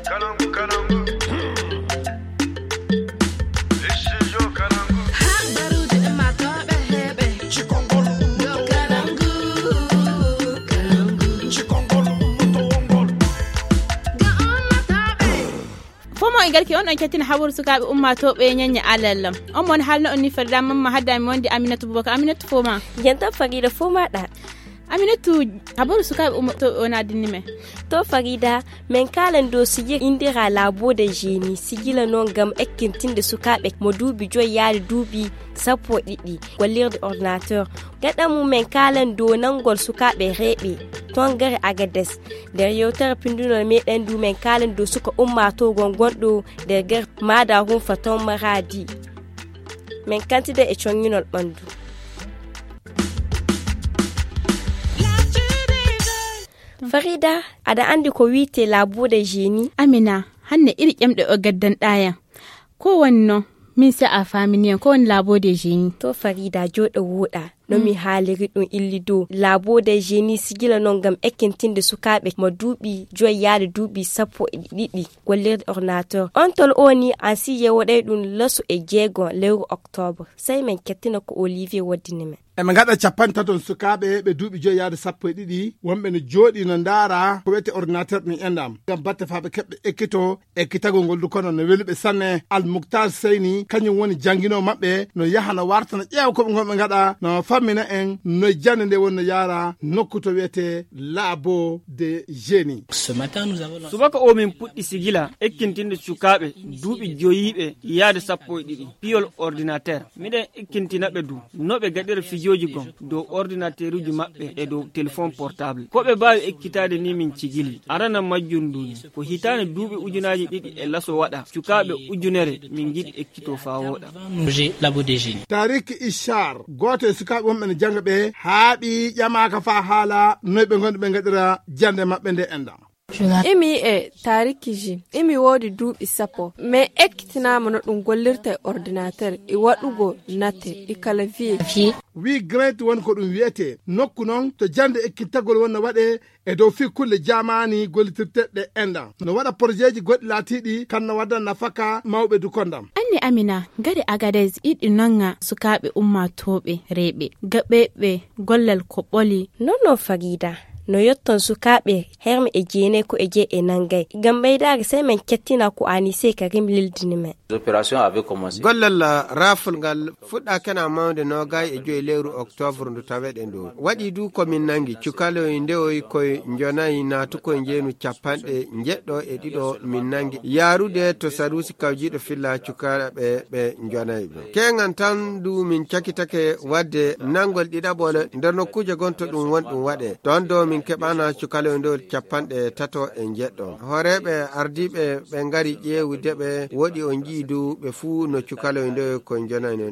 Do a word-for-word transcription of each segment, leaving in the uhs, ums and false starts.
Kalangu, kalangu. Studio Kalangu. Habaruuji ummaatooɓe heɓe. Cikongol. Yo kalangu, kalangu. Cikongol, ummatowol ngol. Ga ummaatooɓe. Fomo e garki on ɗon kettina habaru sukaaɓe ummaatooɓe ñañña alallam. On mon haalno on ni Farida Mamma hadda mi wondi Aminata Bubakar. Aminata foma. Jenta Farida foma ɗa. Aminatu, habaru sukaaɓe ummaatooɓe o naadinni men. To Farida, men kaalan dow sijil indira labo de génie, sijila non ngam ekkintinde sukaaɓe mo duuɓi joyi yaade duuɓi sappo e ɗiɗi, gollirde ordinateur. Gaɗa mum men kaalan dow nangol sukaaɓe reeɓe, toon gare Agades. Nder yewtere pindunol meɗen du men kaalan dow suka ummaatoo gonɗo nder gare Maada Rumfa toon Maraadi. Men kantida e coññinol ɓanndu. Farida, aɗa anndi ko wiyetee labo de génie? Amina, hannde iri ƴemɗe o gaddanɗaa yam. Ko woni non? Min se a faamini yam, ko woni labo de génie? To Farida, jooɗo wooɗa. No mi haaliri ɗum illi dow, labo de génie sijila non ngam ekkintinde sukaaɓe mo duuɓi joyi yaade duuɓi sappo e ɗiɗi gollirde ordinateur. On tol o ni an si yewoɗay ɗum laso e jeego lewru octobre. Sey men kettina ko Olivier woddini men. Eɓe ngaɗa capanɗe taton sukaaɓe ɓe duuɓi joyi yaade sappo e ɗiɗi, wonɓe no jooɗi no ndaara ko wiyetee ordinateur ɗum enɗam. Ngam batte faa ɓe keɓɓe ekkito, ekkitagol ngol du kono no weli ɓe sanne. Al Muktar Seyni, kañum woni jannginoo maɓɓe, no yaha no warta no ƴeewa ko ɓe ngonɓe ngaɗa, no fammina en no jannde nde woni no yaara nokku to wiyetee Labo de Génie. Subaka o min puɗɗi sigila ekkintinde sukaaɓe duuɓi joyiiɓe yaade sappo e ɗiɗi piyol ordinateur. Miɗen ekkintina ɓe du no ɓe gaɗira fijooji gon dow ordinateeruuji maɓɓe e dow telefon portable. Ko ɓe mbaawi ekkitaade ni min cigili. Arana majjum ndu ni ko hitaande duuɓi ujunaaji ɗiɗi e laso waɗa, cukaaɓe ujunere min ngiɗi ekkito faa wooɗa. Tarik Ishar, gooto e sukaaɓe wonɓe no jannga ɓe, haaɓi ƴamaaka faa haala noy ɓe ngondi ɓe ngaɗira jannde maɓɓe nde enɗam. Imi e Tariki Ji, imi woodi duuɓi sappo. Min ekkitinaama no ɗum gollirta e ordinateur, e waɗugo nate, e clavier. Wi Grant woni ko ɗum wiyetee. Nokku noon to jannde ekkitagol won no waɗee e dow fii kulle jaamaani gollitirteeɗe enɗam. No waɗa porjeeji goɗɗi laatiiɗi kan no wadda nafaka mawɓe du konndam. Anne Amina, gare Agadez iɗi nanga sukaaɓe ummaatooɓe reeɓe, gaɓeeɓe gollal ko ɓoli. Non non Farida, no yotton sukaaɓe herme e jeenay ko e jee e nangay. Ngam ɓeydaare sey men kettina ko Anise Karim lildini men. Gollal raaful ngal fuɗɗaakena mawnde noogay e joyi lewru oktoobre ndu taweɗen ɗo. Waɗi du ko min nangi cukaloy ndewoy koye njonayi naatukoy njeenu capanɗe njeɗɗo e ɗiɗo min nangi yaarude to saruusi kawjiiɗo filla cukaaɓe ɓe njonayi ɓe. Keeŋan tan du min cakitake waɗde nanngol ɗiɗaɓol nder nokkuuje gonto ɗum won ɗum waɗe. Ɗon do min keɓana cukaloy ndewol capanɗe tato e njeɗɗo. Hooreeɓe ardiiɓe ɓe ngari ƴeewude ɓe woɗi o njii du ɓe fuu no cukaloy ndewoy ko njonayi non.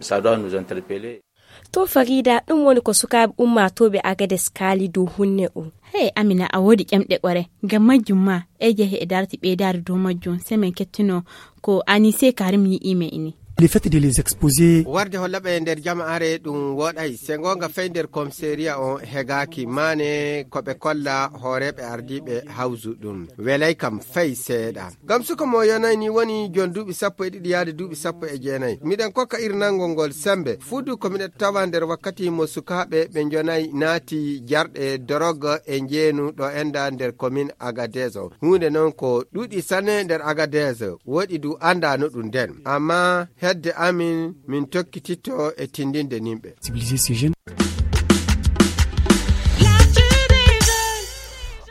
To Farida, ɗum woni ko sukaaɓe ummaatooɓe Agades kaali dow hunne o. Hey Amina, a woodi ƴamɗe ɓore. Ngam majjum ma, e jehe e darti ɓeydaari dow majjum, sey men kettino ko Anise Karim yi'i me ini. Le fait de les exposer. Warde holla ɓe nder jama'aare ɗum woɗay, se ngoonga fey nder komisariya on hegaaki, maane ko ɓe kolla hooreeɓe ardiiɓe hawsu ɗum. Welay kam fey seeɗa. Ngam suka mo yonay ni woni jon duuɓi sappo e ɗiɗi yaade duuɓi sappo e jeenay. Miɗen kokka irnango ngol sembe. Fuudu ko miɗen tawa nder wakkati mo sukaaɓe ɓe njonay naati jarɗe dorog e njeenu ɗo enda nder komin Agadezo. Huunde non ko ɗuuɗi sanne nder Agadezo. Woɗi du anda no ɗum nden. Amma hedde amin min tokkititto e tindinde nimɓe.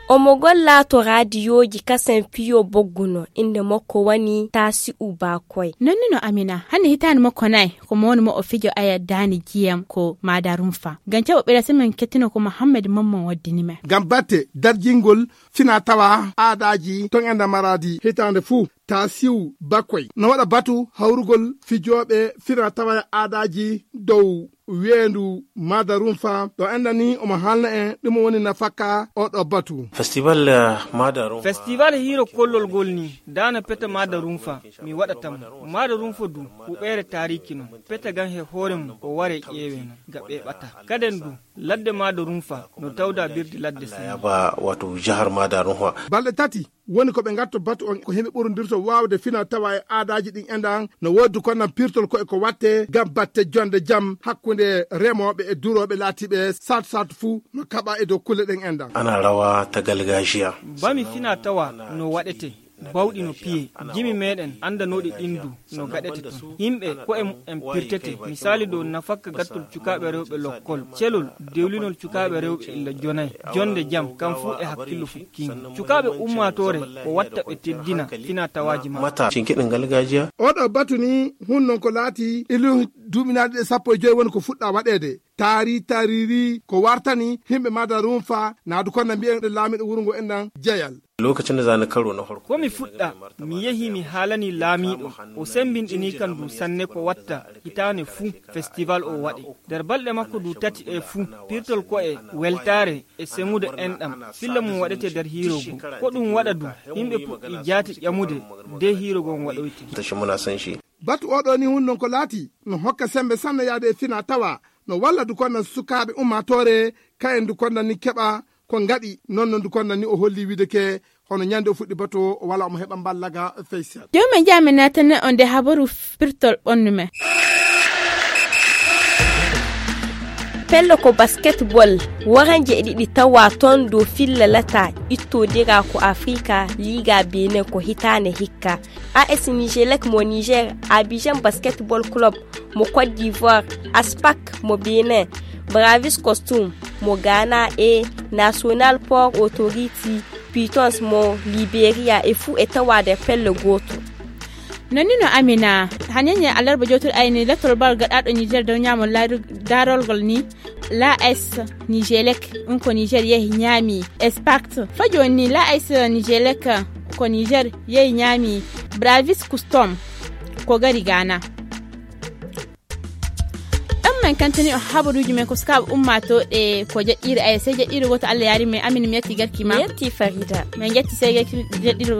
Omo golla to raadiyooji kasen fiyo bogguno, innde makko woni Tasi'u Bakoy. Nonnuno Amina, hannde hitaande makko nayi, ko mo woni mo o fijo aya daani jiyam ko Maada Rumfa. Ngam caɓo ɓeyda semaine kettino ko Mohammed Mamman waddini men. Ngam batte darjingol fina tawa aadaaji ton enda Maraadi hitaande fuu. Tasi'u Bakoy no waɗa batu hawrugol fijooɓe fina tawa aadaaji dow weendu Maada Rumfa ɗo enɗan ni omo haalna en ɗum woni nafaka oɗo batu. Festival eh, Maada Rumfa. Festival hiiro kollol ngol ni daana peta Maada Rumfa mi waɗata mo. Maada Rumfa du huɓeere taariki non peta gan he hoore mum o ware ƴeewe non ga ɓe ɓata kaden du ladde Maada Rumfa no tawda birdi ladde sene. Yaba wato jahar Maada Rumfa. Balɗe tati Woni ko ɓe ngatto batu on ko himɓe ɓurondirto waawde fina tawa e aadaaji ɗin enɗan no woodi kon nan pirtol ko e ko watte ngam batte jonde jam hakkunde remooɓe e durooɓe laatiiɓe sat sat fuu no kaɓa e dow kulle ɗen enɗan. Ana rawa ta galgajiya. Bami fina tawa no waɗete bawɗi no piye jimi meɗen anndanooɗi ɗin du no gaɗete ton. Yimɓe ko'e mu'en pirtete, misaali dow nafakka gattol cukaaɓe rewɓe lokkol, celol dewlinol cukaaɓe rewɓe illa jonay, jonde jam kam fuu e hakkillo fukkiingo. Cukaaɓe ummaatoore ko watta ɓe teddina fina tawaaji maɓɓe. Mata cinkiɗin galgajiya. Oɗo batu ni hun non ko laati ilu duuɓinaaɗi ɗe sappo e joyi woni ko fuɗɗa waɗeede. Taari tariri ko wartani himɓe mada rumfa naadu kon na mbiyen ɗe laamiɗo wuro ngo enɗan jeyal. Lokacin da za ni karo na farko. Ko mi fuɗɗa, mi yehi mi haalani laamiiɗo, o sembinɗini kan du sanne ko watta hitaane fuu festival o waɗe. Nder balɗe makko du tati ɗe fuu, pirtol ko e weltaare e semude enɗam, filla mum waɗete nder hiiro goo. Ko ɗum waɗa du, yimɓe puɗɗi jaati ƴamude de hiiro goo waɗoyte. Tashi muna son shi. Batu oɗo ni hun non ko laati, no hokka sembe sanne yaade e fina tawa, no walla du kon nan sukaaɓe ummaatoore, kayen du kon nan ni keɓa ko ngaɗi, non non du kon nan ni o holli wiide ke, hono ñande o fuɗɗi batu o, o wala omo heɓa mballaga facial. Jooni men jaa men naatane on nde habaru pirtol ɓonnu men. Pello ko basketball, waranji e ɗiɗi tawa ton dow filla lata ittodira ko Afrika, Liga Benin ko hitaande hikka. A S Nijelek mo Niger, Abidjan Basketball Club mo Côte d'Ivoire, Aspac mo Benin, Bravis Costume mo Ghana e National Port Authority Pitons mo Liberia e fuu e tawa nder pelle gooto. Nonni no Amina, hanenye alarba jotur ayni lettol bal gaɗaɗo Niger dow ñaamo laaru-, darolgol ni. La S Nijelek, ɗum ko Niger yehi ñaami Espact. Fa jooni ni La S Nijelek ko Niger yehi ñaami Bravis Custom ko gari Ghana. Ɗon men kantini on habaruuji men ko sukaaɓe ummaatooɓe ko jaɗɗiire, ay, sey jaɗɗiire gooto Allah yaari men. Amina, mi yetti garki ma. Mi yetti Farida. Min jetti sey garki jaɗɗiire.